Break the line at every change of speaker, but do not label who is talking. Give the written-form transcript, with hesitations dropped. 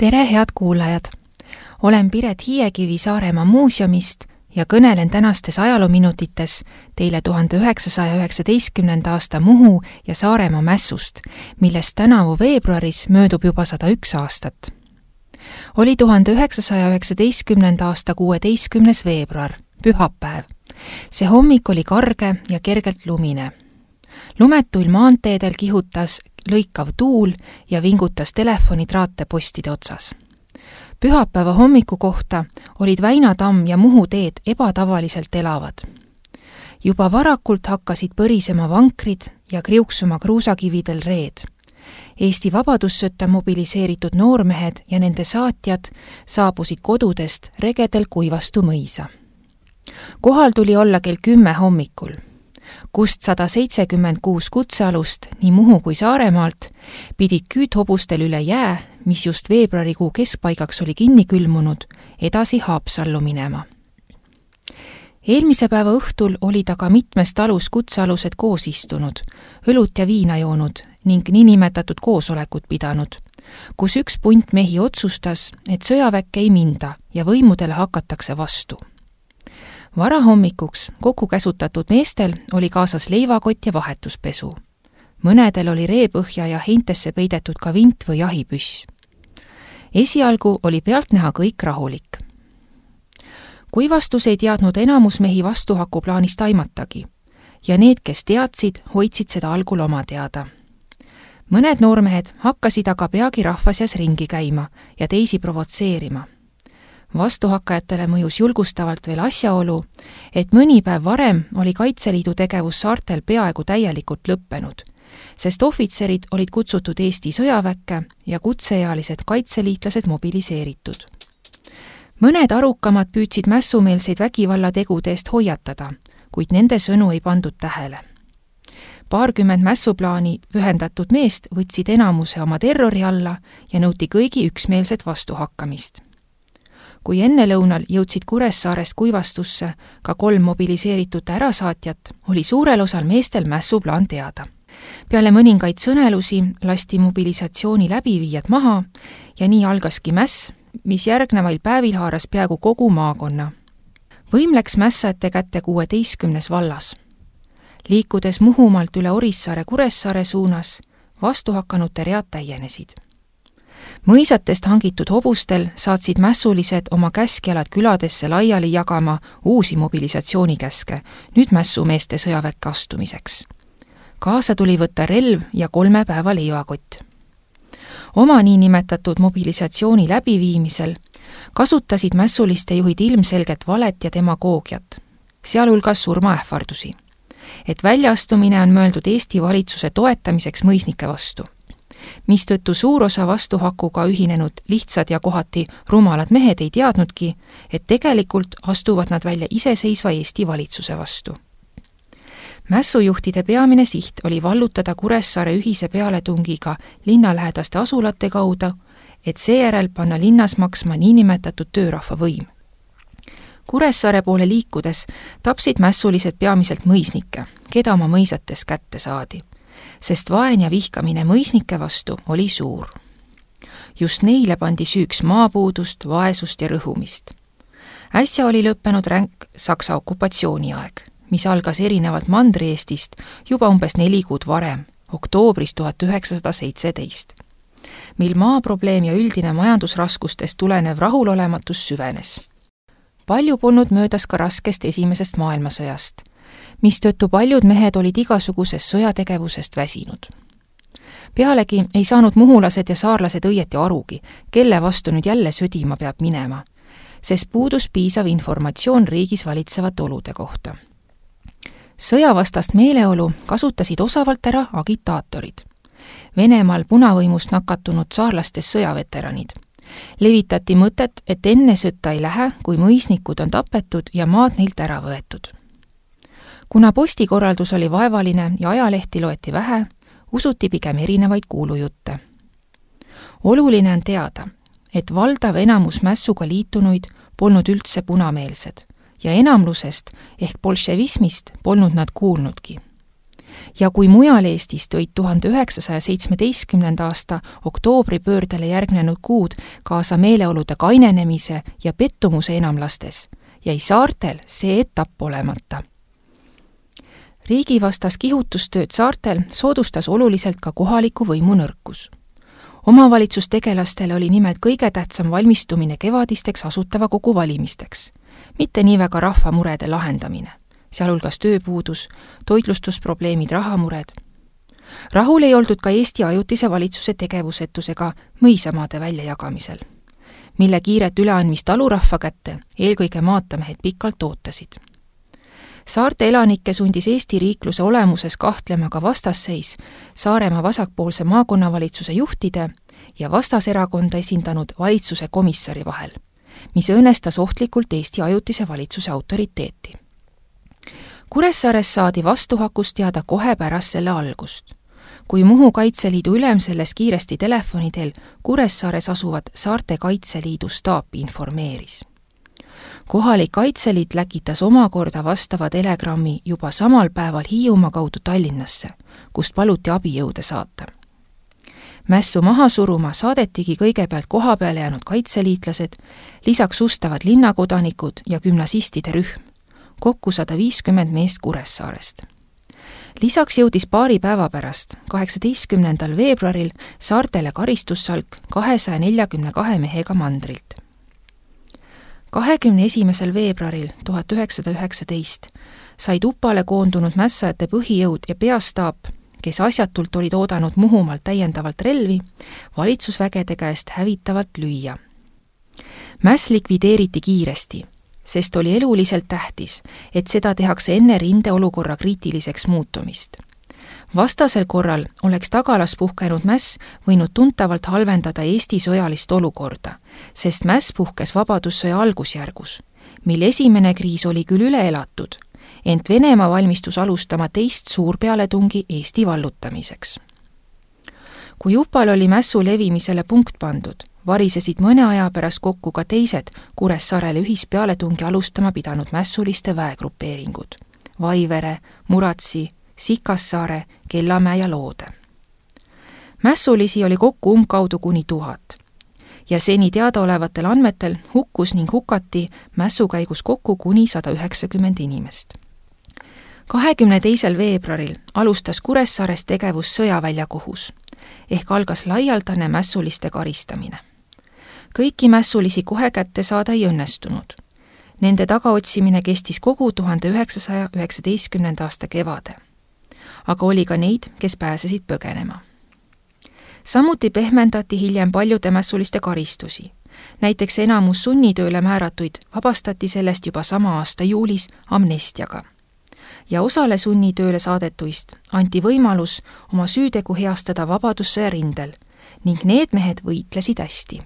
Tere, head kuulajad! Olen Piret Hiiekivi Saaremaa muuseumist ja kõnelen tänastes ajaloominutites teile 1919. aasta Muhu ja Saaremaa mässust, millest tänavu veebruaris möödub juba 101 aastat. Oli 1919. aasta 16. veebruar, pühapäev. See hommik oli karge ja kergelt lumine. Lumetuil maanteedel kihutas lõikav tuul ja vingutas telefonitraate postide otsas. Pühapäeva hommiku kohta olid Väina tamm ja Muhu teed ebatavaliselt elavad. Juba varakult hakkasid põrisema vankrid ja kriuksuma kruusakividel reed. Eesti vabadussõtta mobiliseeritud noormehed ja nende saatjad saabusid kodudest regedel Kuivastu mõisa. Kohal tuli olla kell 10 hommikul, kust 176 kutsealust nii Muhu kui Saaremaalt pidid küüthobustel üle jää, mis just veebruarikuu keskpaigaks oli kinni külmunud, edasi Haapsallu minema. Eelmise päeva õhtul olid aga mitmes talus kutsealused koos istunud, õlut ja viina joonud ning niinimetatud koosolekut pidanud, kus üks punt mehi otsustas, et sõjaväkke ei minda ja võimudele hakatakse vastu. Varahommikuks kokku käsutatud meestel oli kaasas leivakott ja vahetuspesu. Mõnedel oli reepõhja ja heintesse peidetud ka vint või jahipüss. Esialgu oli pealtnäha kõik rahulik. Kuivastus ei teadnud enamus mehi vastuhaku plaanist aimatagi ja need, kes teadsid, hoidsid seda algul oma teada. Mõned noormehed hakkasid aga peagi rahva seas ringi käima ja teisi provotseerima. Vastuhakkajatele mõjus julgustavalt veel asjaolu, et mõni päev varem oli Kaitseliidu tegevus saartel peaaegu täielikult lõppenud, sest ohvitserid olid kutsutud Eesti sõjaväkke ja kutseealised kaitseliitlased mobiliseeritud. Mõned arukamad püüdsid mässumeelseid vägivallategude eest hoiatada, kuid nende sõnu ei pandud tähele. 20 mässuplaani pühendatud meest võtsid enamuse oma terrori alla ja nõuti kõigi üksmeelset vastuhakkamist. Kui ennelõunal jõudsid Kuressaarest Kuivastusse ka 3 mobiliseeritud ärasaatjat, oli suurel osal meestel mässuplaan teada. Peale mõningaid sõnelusi lasti mobilisatsiooni läbiviijad maha ja nii algaski mäss, mis järgnevail päevil haaras peaaegu kogu maakonna. Võim läks mässajate kätte 16 vallas. Liikudes Muhumaalt üle Orissaare Kuressaare suunas, vastuhakkanute read täienesid. Mõisatest hangitud hobustel saatsid mässulised oma käskjalad küladesse laiali jagama uusi mobilisatsioonikäske, nüüd mässumeeste sõjaväkke astumiseks. Kaasa tuli võtta relv ja 3 päeva leivakott. Oma niinimetatud mobilisatsiooni läbiviimisel kasutasid mässuliste juhid ilmselget valet ja demagoogiat, sealhulgas surmaähvardusi, et väljaastumine on mõeldud Eesti valitsuse toetamiseks mõisnike vastu, mistõttu suur osa vastuhakuga ühinenud lihtsad ja kohati rumalad mehed ei teadnudki, et tegelikult astuvad nad välja iseseisva Eesti valitsuse vastu. Mässujuhtide peamine siht oli vallutada Kuressaare ühise pealetungiga linnalähedaste asulate kaudu, et seejärel panna linnas maksma niinimetatud töörahva võim. Kuressaare poole liikudes tapsid mässulised peamiselt mõisnikke, keda oma mõisates kätte saadi, sest vaen ja vihkamine mõisnike vastu oli suur. Just neile pandi süüks maapuudust, vaesust ja rõhumist. Äsja oli lõppenud ränk Saksa okupatsiooniaeg, mis algas erinevalt Mandri-Eestist juba umbes 4 kuud varem, oktoobris 1917, mil maaprobleem ja üldine majandusraskustest tulenev rahulolematus süvenes. Palju polnud möödas ka raskest esimesest maailmasõjast, mistõttu paljud mehed olid igasugusest sõjategevusest väsinud. Pealegi ei saanud muhulased ja saarlased õieti arugi, kelle vastu nüüd jälle sõdima peab minema, sest puudus piisav informatsioon riigis valitsevate olude kohta. Sõjavastast meeleolu kasutasid osavalt ära agitaatorid. Venemaal punavõimust nakatunud saarlastes sõjaveteranid. Levitati mõtet, et enne sõtta ei lähe, kui mõisnikud on tapetud ja maad neilt ära võetud. Kuna postikorraldus oli vaevaline ja ajalehti loeti vähe, usuti pigem erinevaid kuulujutte. Oluline on teada, et valdav enamus mässuga liitunuid polnud üldse punameelsed ja enamlusest ehk bolševismist polnud nad kuulnudki. Ja kui mujal Eestis tõid 1917. aasta oktoobripöördele järgnenud kuud kaasa meeleolude kainenemise ja pettumuse enamlastes, jäi saartel see etapp olemata. Riigivastas kihutustööd saartel soodustas oluliselt ka kohaliku võimu nõrkus. Omavalitsustegelastele oli nimelt kõige tähtsam valmistumine kevadisteks asutava kogu valimisteks, mitte nii väga rahva murede lahendamine, sealhulgas tööpuudus, toitlustusprobleemid, rahamured. Rahul ei oldud ka Eesti ajutise valitsuse tegevusetusega mõisamaade väljajagamisel, mille kiiret üleandmist alurahva kätte eelkõige maatamehed pikalt ootasid. Saarte elanikke sundis Eesti riikluse olemuses kahtlema ka vastasseis Saaremaa vasakpoolse maakonnavalitsuse juhtide ja vastaserakonda esindanud valitsuse komissari vahel, mis õõnestas ohtlikult Eesti ajutise valitsuse autoriteeti. Kuressaares saadi vastuhakust teada kohe pärast selle algust, kui Muhu Kaitseliidu ülem selles kiiresti telefoni teel Kuressaares asuvat Saarte Kaitseliidu staapi informeeris. Kohalik Kaitseliit läkitas omakorda vastava telegrammi juba samal päeval Hiiumaa kaudu Tallinnasse, kust paluti abijõude saata. Mässu maha suruma saadetigi kõigepealt kohapeale jäänud kaitseliitlased, lisaks ustavad linnakodanikud ja gümnasistide rühm, kokku 150 meest Kuressaarest. Lisaks jõudis paari päeva pärast, 18. veebruaril, saartele karistussalk 242 mehega mandrilt. 21. veebruaril 1919 said Upale koondunud mässajate põhijõud ja peastaap, kes asjatult olid oodanud Muhumaalt täiendavalt relvi, valitsusvägede käest hävitavalt lüüa. Mäss likvideeriti kiiresti, sest oli eluliselt tähtis, et seda tehakse enne rindeolukorra kriitiliseks muutumist. Vastasel korral oleks tagalas puhkenud mäss võinud tuntavalt halvendada Eesti sõjalist olukorda, sest mäss puhkes vabadussõja algusjärgus, mil esimene kriis oli küll üle elatud, ent Venemaa valmistus alustama teist suurpealetungi Eesti vallutamiseks. Kui Upal oli mässu levimisele punkt pandud, varisesid mõne aja pärast kokku ka teised Kuressaarele ühispealetungi alustama pidanud mässuliste väegrupeeringud: Vaivere, Muratsi, Sikassaare, Kellamäe ja Loode. Mässulisi oli kokku umbkaudu kuni 1000 ja seni teadaolevatel andmetel hukkus ning hukati mässu käigus kokku kuni 190 inimest. 22. veebruaril alustas Kuressaares tegevus sõjaväljakohus ehk algas laialdane mässuliste karistamine. Kõiki mässulisi kohe kätte saada ei õnnestunud. Nende tagaotsimine kestis kogu 1919. aasta kevade. Aga oli ka neid, kes pääsesid põgenema. Samuti pehmendati hiljem paljude mässuliste karistusi. Näiteks enamus sunnitööle määratuid vabastati sellest juba sama aasta juulis amnestiaga. Ja osale sunnitööle saadetuist anti võimalus oma süütegu heastada vabadussõja rindel ning need mehed võitlesid hästi.